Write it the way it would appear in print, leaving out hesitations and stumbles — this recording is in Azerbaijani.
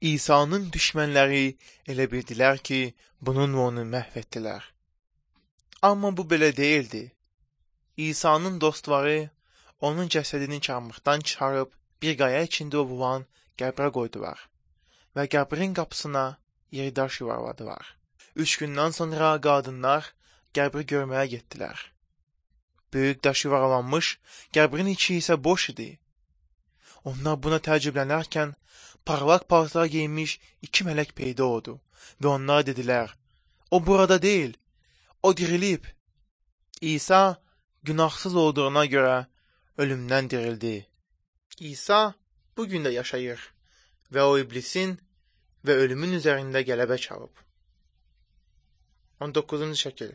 İsa'nın düşmənləri elə bildilər ki, bununla onu məhv etdilər. Amma bu belə deyildi. İsa'nın dostları onun cəsədini çarmıxdan çıxarıb bir qaya içində olan qəbrə qoydular və qəbrin qapısına yeridaş yuvarladılar. 3 gündən sonra qadınlar qəbri görməyə getdilər. Böyük daş yuvarlanmış, qəbrin içi isə boş idi. Onlar buna təəccüblənərkən parlaq paltar geyinmiş 2 mələk peyda oldu və onlar dedilər, o burada deyil, o dirilib. İsa günahsız olduğuna görə ölümdən dirildi. İsa bugün də yaşayır və o iblisin və ölümün üzərində qələbə çalıb. 19-cu şəkil.